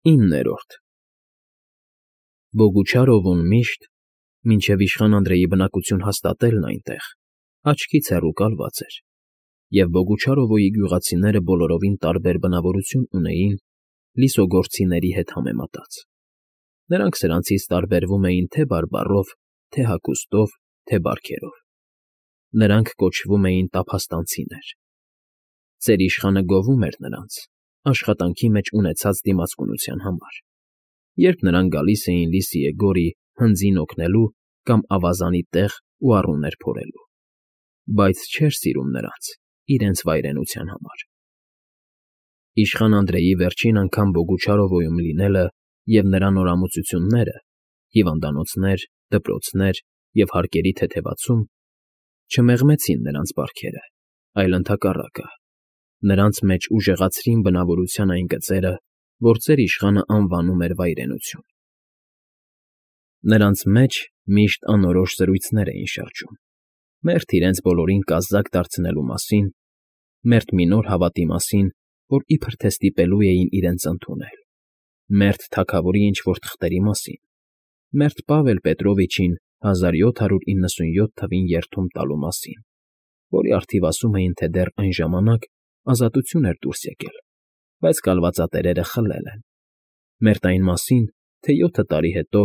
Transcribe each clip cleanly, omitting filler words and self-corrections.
9-րդ Բոգուչարովուն միշտ, մինչև իշխան Անդրեի բնակություն հաստատելն այնտեղ, աչքից հեռու կալված էր, և Բոգուչարովոյի գյուղացիները բոլորովին տարբեր բնավորություն ունեին լիսոգործիների հետ համեմատած. նրանք սրանցից տարբերվում էին թե բարբառով, թե հագուստով, թե բարքերով. նրանք կոչվում էին տափաստանցիներ. ծեր իշխանը գովում էր նրանց, աշխատանքի մեջ ունեցած դիմացկունության համար, երբ նրանք գալիս էին Լիսիեգորի հնձին օգնելու կամ ավազանի տեղ ու առուներ փորելու, բայց չէր սիրում նրանց իրենց վայրենության համար։ Իշխան Անդրեի վերջին անգամ Բոգուչարովոյում լինելը և նրա նորամուծությունները, հիվանդանոցներ, դպրոցներ և հարկերի թեթևացում չմեղմեցին նրանց բարքերը, այլ ընդհակառակը, նրանց մեջ ուժեղացրին բնավորության այն գծերը, որ ծեր իշխանը անվանում էր վայրենություն։ Նրանց մեջ միշտ անորոշ զրույցներ էին շրջում. մերթ իրենց բոլորին կազակ դարձնելու մասին, մերթ մի նոր հավատի մասին, որ իբր թե ստիպելու էին իրենց ընդունել, մերթ թագավորի ինչ֊որ թղթերի մասին, մերթ Պավել Պետրովիչին 1797 թվին երդում տալու մասին, որի առթիվ ասում էին, թե դեռ այն ժամանակ ազատություն էր դուրս եկել, բայց կալվածատերերը խլել են, մերթ այն մասին, թե 7 տարի հետո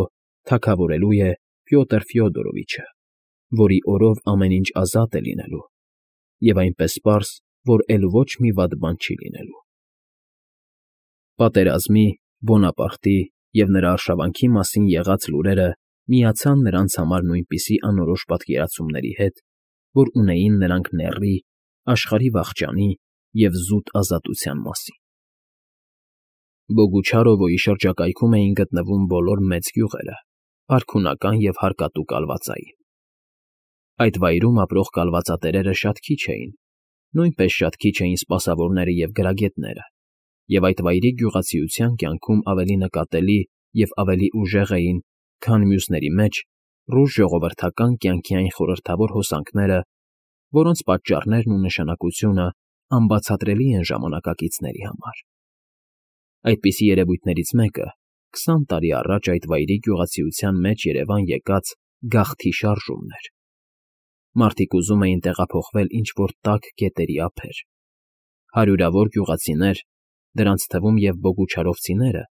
թագավորելու է Պյոտր Ֆյոդորովիչը, որի օրով ամեն ինչ ազատ է լինելու, և այնպես պարզ, որ էլ ոչ մի վատ բան չի լինելու։ Պատերազմի, Բոնապարտի և նրա արշավանքի մասին եղած լուրերը միացան նրանց համար նույնպիսի անորոշ պատկերացումների հետ, որ ունեին նրանք նեռի, աշխարհի վախճանի և զուտ ազատության մասին։ Բոգուչարովոյի շրջակայքում էին գտնվում բոլոր մեծ գյուղերը, արքունական և հարկատու կալվածային։ Այդ վայրում ապրող կալվածատերերը շատ քիչ էին, նույնպես շատ քիչ էին սպասավորները և գրագետները, և այդ վայրի գյուղացիության կյանքում ավելի նկատելի և ավելի ուժեղ էին, քան մյուսների մեջ, ռուս ժողովրդական կյանքի այն խորհրդավոր հոսանքները, որոնց պատճառներն ու նշանակությունը անբացատրելի են ժամանակակիցների համար։ Այդպիսի երևույթներից մեկը 20 տարի առաջ այդ վայրի գյուղացիության մեջ երևան եկած գաղթի շարժումն էր։ Մարդիկ ուզում էին տեղափոխվել ինչ֊որ տաք գետերի ափեր։ Հարյուրավոր գյուղացիներ, դրանց թվում և բոգուչարովցիները,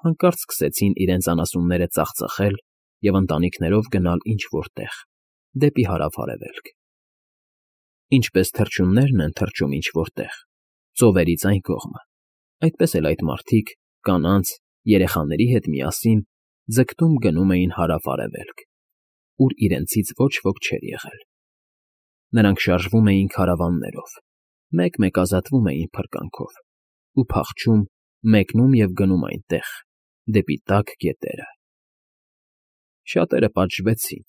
հանկարծ սկսեցին իրենց անասունները ծախծխել և ընտանիքներով գնալ ինչ֊որ տեղ, դեպի հարավ֊արևելք։ Ինչպես թռչուններն են թռչում ինչ֊որ տեղ, ծովերից այն կողմը, այդպես էլ այդ մարդիկ, կանանց, երեխաների հետ միասին ձգտում գնում էին հարավ֊արևելք, ուր իրենցից ոչ ոք չէր եղել։ Նրանք շարժվում էին քարավաններով, մեկ֊մեկ ազատվում էին փրկանքով ու փախչում, մեկնում և գնում այնտեղ, դեպի տաք գետերը։ Շատերը պատժվեցին,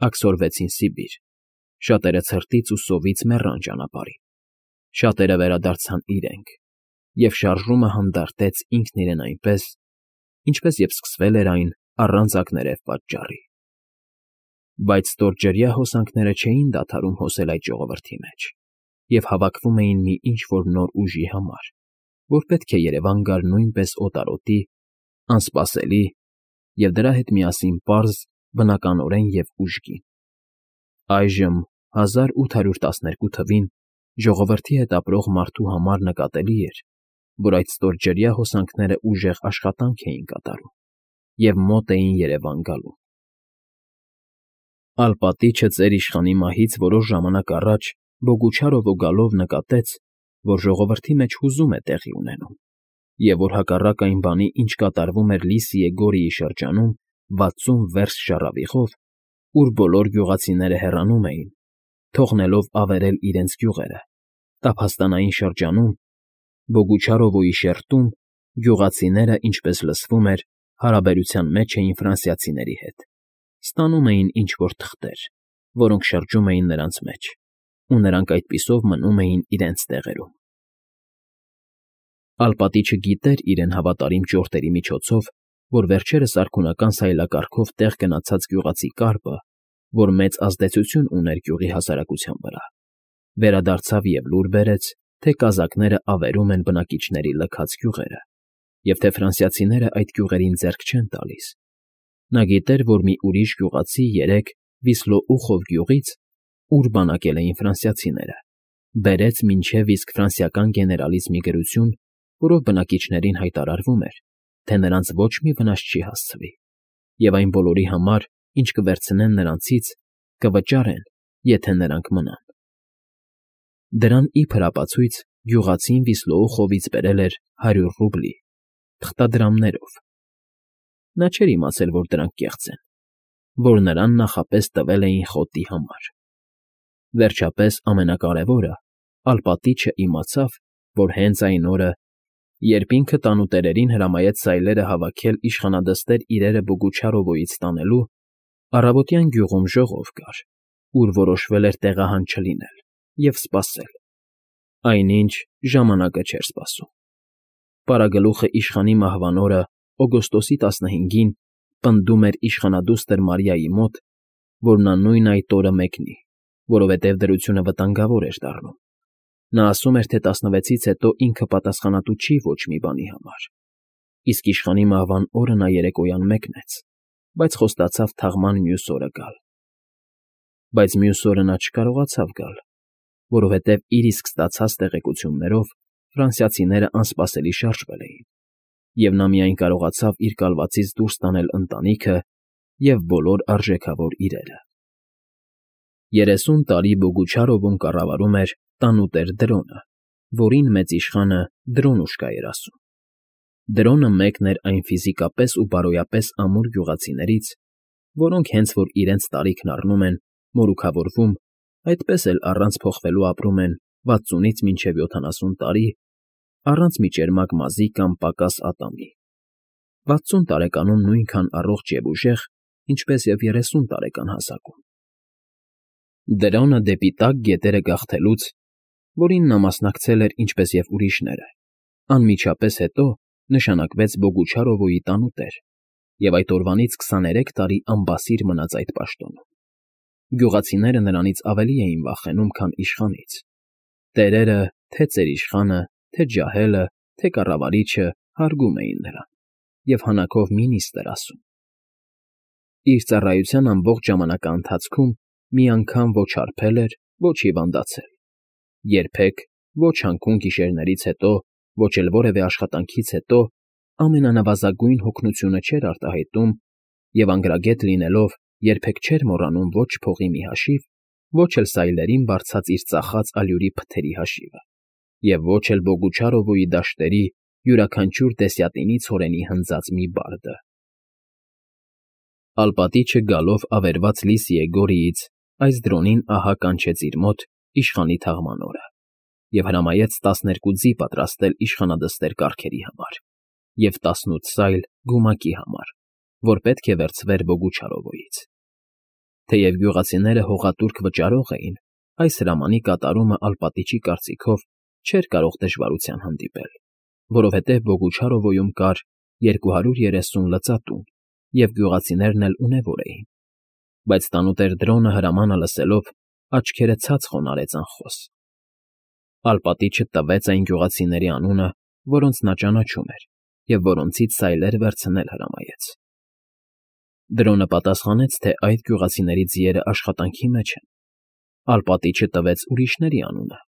աքսորվեցին Սիբիր, շատերը ցրտից ու սովից մեռան ճանապարհին, շատերը վերադարձան իրենք, և շարժումը հանդարտեց ինքն իրեն այնպես, ինչպես և սկսվել էր այն առանց ակներև պատճառի։ Բայց ստորջրյա հոսանքները չէին դադարում հոսել այդ ժողովրդի մեջ և հավաքվում էին մի ինչ֊որ նոր ուժի համար, որ պետք է երևան գար նույնպես օտարոտի, անսպասելի և դրա հետ միասին պարզ, բնականորեն և ուժգին։ Այժմ 1812 թվին ժողովրդի հետ ապրող մարդու համար նկատելի էր, որ այդ ստորջրյա հոսանքները ուժեղ աշխատանք էին կատարում և մոտ էին երևան գալու։ Ալպատիչը ծեր իշխանի մահից որոշ ժամանակ առաջ Բոգուչարովո գալով նկատեց, որ ժողովրդի մեջ հուզում է տեղի ունենում, և որ հակառակ այն բանի, ինչ կատարվում էր Լիսիեգորիի շրջանում 60 վերստ շառավիղով, ուր բոլոր գյուղացիները հեռանում էին, թողնելով ավերել իրենց գյուղերը, տափաստանային շրջանում, Բոգուչարովոյի շերտում, գյուղացիները, ինչպես լսվում էր, հարաբերության մեջ էին ֆրանսիացիների հետ, ստանում էին ինչ֊որ թղթեր, որոնք շրջում էին նրանց մեջ, ու նրանք այդպիսով մնում էին իրենց տեղերում։ Ալպատիչը գիտեր իրեն հավատարիմ ճորտերի միջոցով, որ վերջերս արքունական սայլակարգով տեղ գնացած գյուղացի կառպը, որ մեծ ազդեցություն ուներ գյուղի հասարակության վրա, վերադարձավ և լուր բերեց, թե կազակները ավերում են բնակիչների լքած գյուղերը և թե ֆրանսիացիները այդ գյուղերին ձեռք չեն տալիս։ Նա գիտեր, որ մի ուրիշ գյուղացի երեկ Վիսլոուխով գյուղից, ուր բանակել էին ֆրանսիացիները, բերեց մինչև իսկ ֆրանսիական գեներալից մի գրություն, որով բնակիչներին հայտարարվում էր, թե նրանց ոչ մի վնաս չի հասցվի, և այն բոլորի համար, ինչ կվերցնեն նրանցից, կվճարեն, եթե նրանք մնան։ Դրան իբր ապացույց գյուղացին Վիսլոուխովից բերել էր 100 ռուբլի, թղթադրամներով։ Նա չէր իմացել, որ դրանք կեղծ են, որ նրան նախապես տվել էին խոտի համար։ Վերջապես ամենակարևորը, Ալպատիչը իմացավ, որ հենց այն օրը, երբ ինքը տանուտերերին հրամայեց սայլերը հավաքել իշխանադստեր իրերը Բոգուչարովոյից տանելու, առավոտյան գյուղում ժողով կար, ուր որոշվել էր տեղահան չլինել և սպասել, այնինչ ժամանակը չէր սպասում։ Պարագլուխը իշխանի մահվան օրը, օգոստոսի 15-ին, պնդում էր իշխանադուստր Մարիայի մոտ, որ նա նույն այդ օրը մեկնի, որովհետև դրությունը վտանգավոր էր դառնում։ Նա ասում էր, թե 16-ից հետո ինքը պատասխանատու չի ոչ մի բանի համար, իսկ իշխանի մահվան օրը նա երեկոյան մեկնեց, բայց խոստացավ թաղման մյուս օրը գալ։ Բայց մյուս օրը նա չկարողացավ գալ, որովհետև իր իսկ ստացած տեղեկություններով ֆրանսիացիները անսպասելի շարժվել էին, և նա միայն կարողացավ իր կալվածից դուրս տանել ընտանիքը և բոլոր արժեքավոր իրերը։ 30 տարի Բոգուչարովում կառավարում էր տանուտեր Դրոնը, որին մեծ իշխանը Դրոնուշկա էր ասում։ Դրոնը մեկն էր այն ֆիզիկապես ու բարոյապես ամուր գյուղացիներից, որոնք հենց որ իրենց տարիքն առնում են, մորուքավորվում, այդպես էլ առանց փոխվելու ապրում են 60-ից մինչև 70 տարի, առանց միջերմակ մազի կամ պակաս ատամի, 60 տարեկանում նույնքան առողջ և ուժեղ, ինչպես և 30 տարեկան հասակում։ Դրոնը դեպի տաք գետերը գաղթելուց, որին նա մասնակցել էր ինչպես և ուրիշները, անմիջապես հետո նշանակվեց Բոգուչարովոյի տանուտեր և այդ օրվանից 23 տարի անբասիր մնաց այդ պաշտոնում։ Գյուղացիները նրանից ավելի էին վախենում, քան իշխանից։ Տերերը, թե ծերիշխանը, թե ջահելը, թե կառավարիչը հարգում էին նրան և հանակով մի նիստ էր ասում։ Իր ծառայության ամբողջ ժամանակաընթացքում մի անգամ ոչ հարբել էր, ոչ հիվանդացել։ Երբեք, ոչ հանքուն գիշերներից հետո, ոչ էլ որևէ աշխատանքից հետո ամենանվազագույն հոգնությունը չէր արտահայտում և անգրագետ լինելով երբեք չէր մոռանում ոչ փողի մի հաշիվ, ոչ էլ սայլերին բարձած իր ծախած ալյուրի փթերի հաշիվը, և ոչ էլ Բոգուչարովոյի դաշտերի յուրաքանչյուր դեսյատինի ցորենի հնձած մի բարդը։ Ալպատիչը գալով ավերված լիս Եգորիից այս դրոնին ահա կանչեց իր մոտ իշխանի թաղման օրը և հրամայեց 12 ձի պատրաստել իշխանադստեր կառքերի համար և 18 սայլ գումակի համար, որ պետք է վերցվեր Բոգուչարովոյից։ Թեև գյուղացիները հողատուրք վճարող էին, այս հրամանի կատարումը Ալպատիչի կարծիքով չէր կարող դժվարության հանդիպել, որովհետև Բոգուչարովոյում կար 230 լծատուն, և գյուղացիներն էլ ունևոր էին։ Բայց տանուտեր Դրոնը հրամանը լսելով աչքերը ցած խոնարհեց անխոս։ Ալպատիչը տվեց այն գյուղացիների անունը, որոնց նա ճանաչում էր և որոնցից սայլեր վերցնել հրամայեց։ Դրոնը պատասխանեց, թե այդ գյուղացիների ձիերը աշխատանքի մեջ են։ Ալպատիչը տվեց ուրիշների անունը,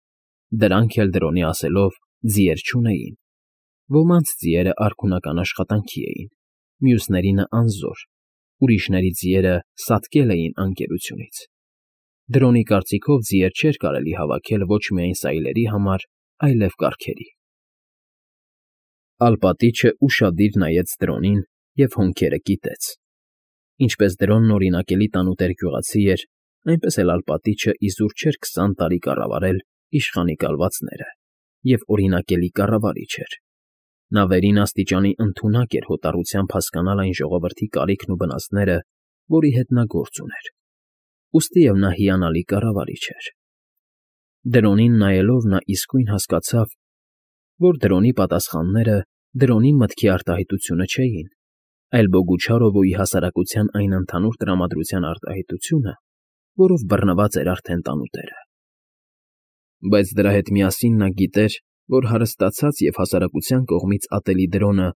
դրանք էլ Դրոնի ասելով ձիեր չունեին։ Ոմանց ձիերը արքունական աշխատանքի էին, մյուսներինը անզոր, ուրիշների ձիերը սատկել էին անկերությունից։ Դրոնի կարծիքով ձիեր չէր կարելի հավաքել ոչ միայն սայլերի համար, այլև կառքերի։ Ալպատիչը ուշադիր նայեց Դրոնին և հոնքերը կիտեց։ Ինչպես Դրոնն օրինակելի տանուտեր գյուղացի էր, այնպես էլ Ալպատիչը իզուր չէր 20 տարի կառավարել իշխանի կալվածները և օրինակելի կառավարիչ էր։ Նա վերին աստիճանի ընդունակ էր հոտառությամբ հասկանալ այն ժողովրդի կարիքն ու վնասները, որի հետ նա գործ ուներ, ուստիև նա հիանալի կառավարիչ էր։ Դրոնին նայելով նա իսկույն հասկացավ, որ Դրոնի պատասխանները Դրոնի մտքի արտահայտությունը չէին, այլ Բոգուչարովոյի հասարակության այն ընդհանուր տրամադրության արտահայտությունը, որով բռնված էր արդեն տանուտերը։ Բայց դրա հետ միասին նա գիտեր, որ հարստացած և հասարակության կողմից ատելի Դրոնը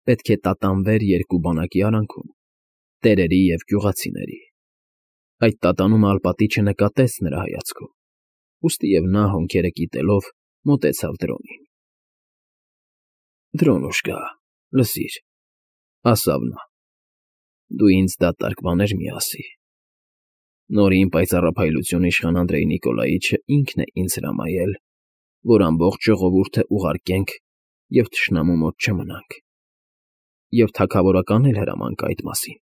պետք է տատանվեր երկու բանակի արանքում՝ տերերի և գյուղացիների։ Այդ տատանումը Ալպատիչը նկատեց նրա հայացքում, ուստիև նա, հոնքերը կիտելով, մոտեցավ դրոնին։ ֊ Դրոնուշկա, լսիր,֊ ասավ նա,֊ դու ինձ դատարկ բաներ մի ասի։ Նորին պայծառափայլություն իշխան Անդրեյ Նիկոլաիչը ինքն է ինձ հրամայել, որ ամբողջ ժողովուրդը ուղարկենք և թշնամու մոտ չմնանք, և թագավորական էլ հրաման կա այդ մասին։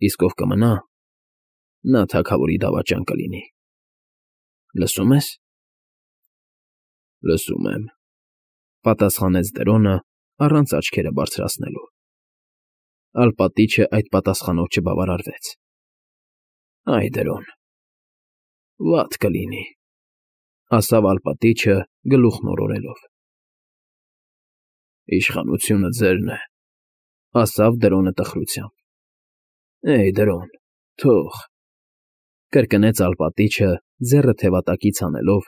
Իսկ ով կմնա, նա թագավորի դավաճան կլինի։ Լսո՞ւմ ես։ ֊ Լսում եմ,֊ պատասխանեց Դրոնը առանց աչքերը բարձրացնելու։ Ալպատիչը այդ պատասխանով չբավարարվեց։ ֊ Այ Դրոն, վատ կլինի,֊ ասավ Ալպատիչը գլուխն օրորելով։ ֊ Իշխանությունը ձերն է,֊ ասավ Դրոնը տխրությամբ։ ֊ Էյ, Դրոն, թող,֊ կրկնեց Ալպատիչը ձեռը թևատակից հանելով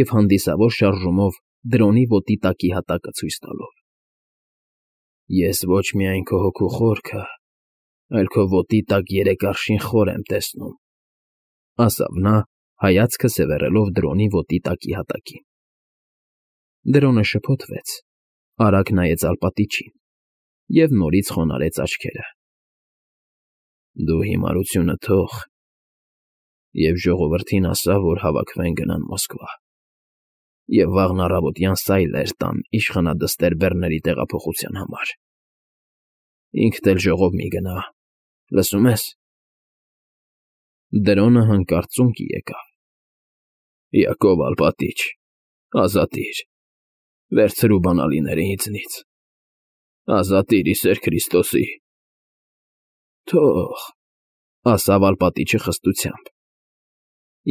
և հանդիսավոր շարժումով Դրոնի ոտի տակի հատակը ցույց տալով։ Ես ոչ միայն քո հոգու խորքը, այլ քո ոտի տակ 3 արշին խոր եմ տեսնում,֊ ասավ նա, հայացքը սևեռելով Դրոնի ոտի տակի հատակին։ Դրոնը շփոթվեց, արագ նայեց Ալպատիչին և նորից խոնարհեց աչքերը։ ֊ Դու հիմարությունը թող և ժողովրդին ասա, որ հավաքվեն գնան Մոսկվա և վաղն առավոտյան սայլեր տան իշխանադստեր բեռների տեղափոխության համար։ Ինքդ էլ ժողով մի գնա, լսո՞ւմ ես։ Դրոնը հանկարծ ծունկի եկավ։ ֊ Յակով Ալպատիչ, ազատի՛ր, վերցրու բանալիները ինձնից, ազատի՛ր, ի սեր Քրիստոսի։ ֊ Թող,֊ ասավ Ալպատիչը խստությամբ։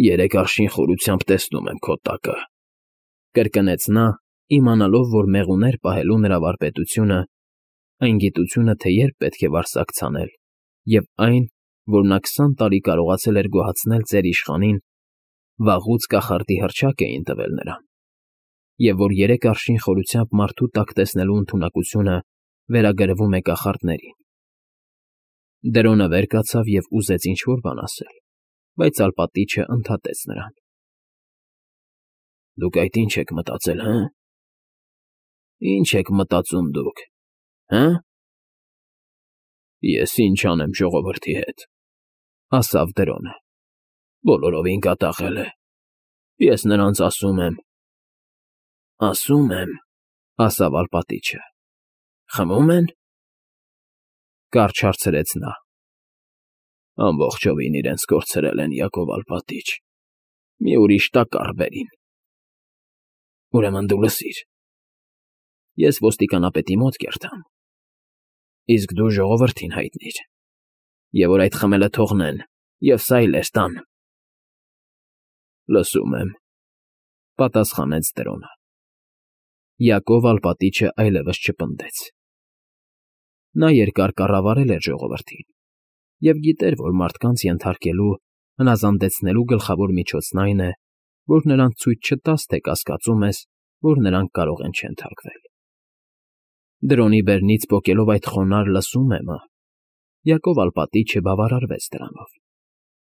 ֊ 3 արշին խորությամբ տեսնում եմ քո տակը,֊ կրկնեց նա, իմանալով, որ մեղուներ պահելու նրա վարպետությունը, այն գիտությունը, թե երբ պետք է վարսակ ցանել, և այն, որ նա 20 տարի կարողացել էր գոհացնել ծեր իշխանին, վաղուց կախարդի հռչակ էին տվել նրան, և որ 3 արշին խորությամբ մարդու տակ տեսնելու ընդունակությունը վերագրվում է կախարդներին։ Դրոնը վեր կացավ և ուզեց ինչ֊որ բան ասել, բայց Ալպատիչը ընդհատեց նրան։ ֊ Դուք այդ ինչ եք մտածել, հը՞։ Ի՞նչ եք մտածում դուք, հը՞։ Ես ինչ անեմ ժողովրդի հետ,֊ ասավ Դրոնը։ Բոլորովին կատաղել է։ Ես նրանց ասում եմ։ ֊ Ասում եմ,֊ ասավ Ալպատիչը։ Խմում են։ Կարճ հարցրեց նա։ Ամբողջովին իրենց կորցրել են, Յակով Ալպատիչ, մի ուրիշ տակառ բերին։ Ուրեմն դու լսիր. ես ոստիկանապետի մոտ կերտամ, իսկ դու ժողովրդին հայտնիր, և որ այդ խմելը թողնեն և սայլեր տան։ ֊ Լսում եմ,֊ պատասխանեց Դրոնը։ Յակով Ալպատիչը այլևս չպնդեց։ Նա երկար կառավարել էր ժողովրդին և գիտեր, որ մարդկանց ենթարկելու, հնազանդեցնելու գլխավոր միջոցն այն է, որ նրանց ցույց չտաս, թե կասկածում ես, որ նրանք կարող են չենթարկվել։ Դրոնի բերնից պոկելով այդ խոնարհ «լսում եմ»֊ը, Յակով Ալպատիչը բավարարվեց դրանով,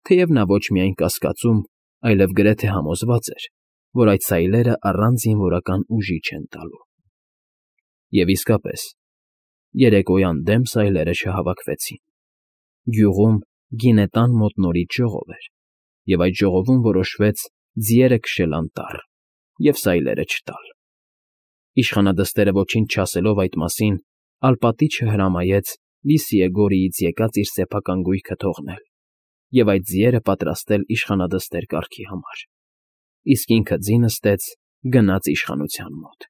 թեև նա ոչ միայն կասկածում, այլև գրեթե համոզված էր, որ այդ սայլերը առանց զինվորական ուժի չեն տալու։ Եվ իսկապես, երեկոյան դեմ սայլերը չհավաքվեցին։ Գյուղում գինետան մոտ նորից ժողով էր, և այդ ժողովում որոշվեց ձիերը քշել անտառ և սայլերը չտալ։ Իշխանադստերը ոչինչ չասելով այդ մասին, Ալպատիչը հրամայեց Լիսիե Գորիից եկած իր սեփական գույքը թողնել և այդ ձիերը պատրաստել իշխանադստեր կարգի համար, իսկ ինքը ձի նստեց, գնաց իշխանության մոտ։